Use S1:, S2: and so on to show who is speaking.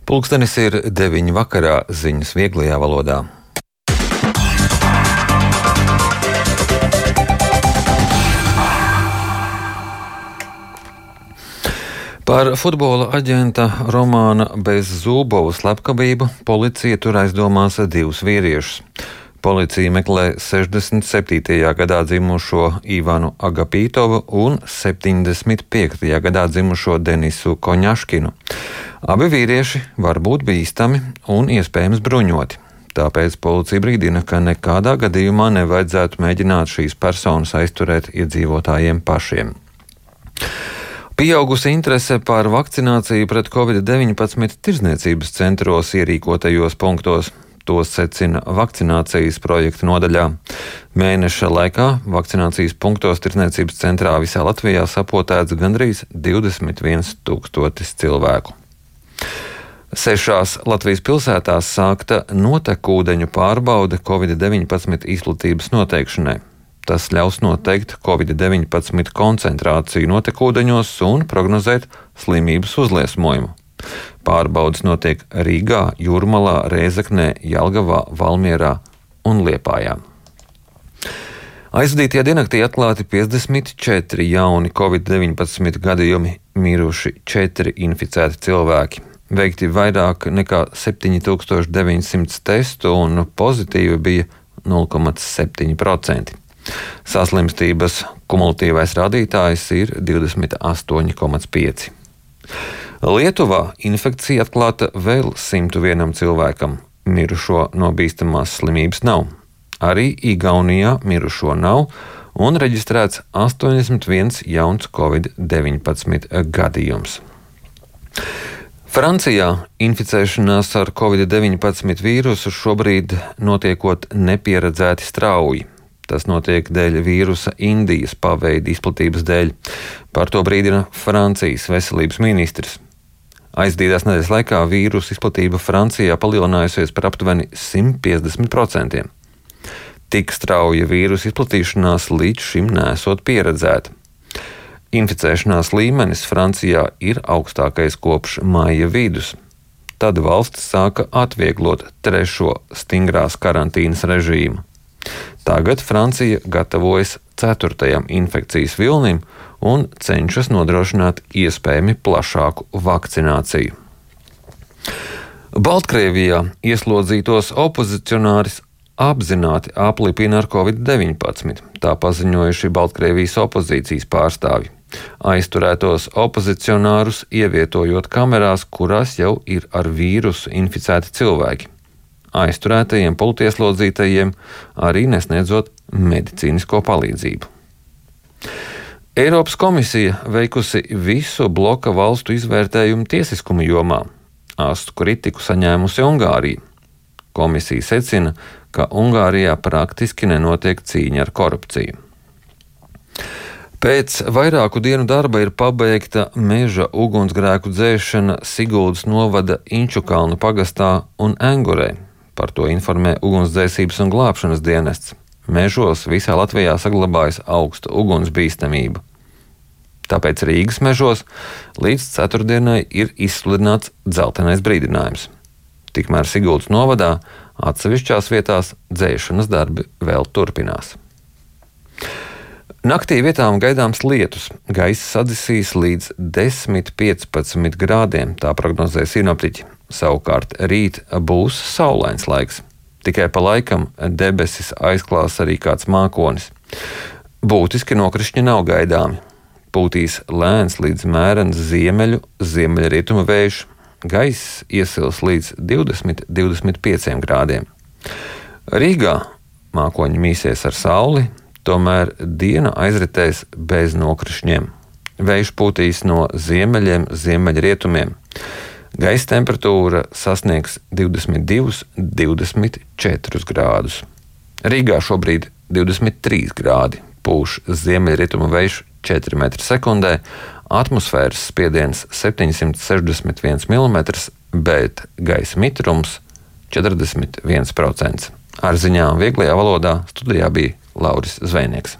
S1: Pulkstenis ir 9 vakarā, ziņas vieglajā valodā. Par futbola aģenta Romāna Bezzūbova slepkavību policija tur aizdomās 2 vīriešus. Policija meklē 67. gadā dzimušo Ivanu Agapītovu un 75. gadā dzimušo Denisu Koņaškinu. Abi vīrieši var būt bīstami un iespējams bruņoti. Tāpēc policija brīdina, ka nekādā gadījumā nevajadzētu mēģināt šīs personas aizturēt iedzīvotājiem pašiem. Pieaugusi interese par vakcināciju pret Covid-19 tirdzniecības centros ierīkotajos punktos. To secina vakcinācijas projekta nodaļā. Mēneša laikā vakcinācijas punktos tirdzniecības centrā visā Latvijā sapotēts gandrīz 21 000 cilvēku. 6 Latvijas pilsētās sākta notekūdeņu pārbaude Covid-19 izplatības noteikšanai. Tas ļaus noteikt Covid-19 koncentrāciju notekūdeņos un prognozēt slimības uzliesmojumu. Pārbaudes notiek Rīgā, Jūrmalā, Rēzeknē, Jelgavā, Valmierā un Liepājā. Aizvadītajā diennaktī atklāti 54 jauni Covid-19 gadījumi, miruši 4 inficēti cilvēki. Veikti vairāk nekā 7900 testu un pozitīvi bija 0,7%. Saslimstības kumulatīvais rādītājs ir 28,5. Lietuvā infekcija atklāta vēl 101 cilvēkam. Mirušo no bīstamās slimības nav. Arī Igaunijā mirušo nav un reģistrēts 81 jauns Covid-19 gadījums. Francijā inficēšanās ar Covid-19 vīrusu šobrīd notiekot nepieredzēti strauji. Tas notiek dēļ vīrusa Indijas paveida izplatības dēļ. Par to brīdina Francijas veselības ministrs. Aizdītās nedēļas laikā vīrusa izplatība Francijā palielinājusies par aptuveni 150%. Tik strauja vīrusa izplatīšanās līdz šim neesot pieredzēta. Inficēšanās līmenis Francijā ir augstākais kopš maija vidus. Tad valsts sāka atvieglot 3. stingrās karantīnas režīmu. Tagad Francija gatavojas 4. infekcijas vilnim un cenšas nodrošināt iespējami plašāku vakcināciju. Baltkrievijā ieslodzītos opozicionāris apzināti aplipina ar Covid-19, tā paziņojuši Baltkrievijas opozīcijas pārstāvji. Aizturētos opozicionārus ievietojot kamerās, kurās jau ir ar vīrusu inficēti cilvēki. Aizturētajiem politieslodzītajiem arī nesniedzot medicīnisko palīdzību. Eiropas komisija veikusi visu bloka valstu izvērtējumu tiesiskuma jomā. Astu kritiku saņēmusi Ungārija. Komisija secina, ka Ungārijā praktiski nenotiek cīņa ar korupciju. Pēc vairāku dienu darba ir pabeigta meža ugunsgrēku dzēšana Siguldas novada Inčukalnu pagastā un Engurē. Par to informē Ugunsdzēsības un glābšanas dienests. Mežos visā Latvijā saglabājas augsta ugunsbīstamība. Tāpēc Rīgas mežos līdz ceturtdienai ir izsludināts dzeltenais brīdinājums. Tikmēr Siguldas novadā atsevišķās vietās dzēšanas darbi vēl turpinās. Naktī vietām gaidāms lietus. Gaiss sadzisīs līdz 10–15 grādiem, tā prognozē sinoptiķi. Savukārt rīt būs saulains laiks. Tikai pa laikam debesis aizklās arī kāds mākonis. Būtiski nokrišņi nav gaidāmi. Pūtīs lēns līdz mērens ziemeļrietumu vējš. Gaiss iesils līdz 20–25 grādiem. Rīgā mākoņi mīsies ar sauli, tomēr diena aizritēs bez nokrišņiem. Vējš pūtīs no ziemeļiem, ziemeļrietumiem. Gaisa temperatūra sasniegs 22–24 grādus. Rīgā šobrīd 23 grādi, pūš ziemeļrietumu vējš 4 m/s, atmosfēras spiediens 761 mm, bet gaisa mitrums 41%. Ar ziņām vieglajā valodā studijā bija Lauris Zvejnieks.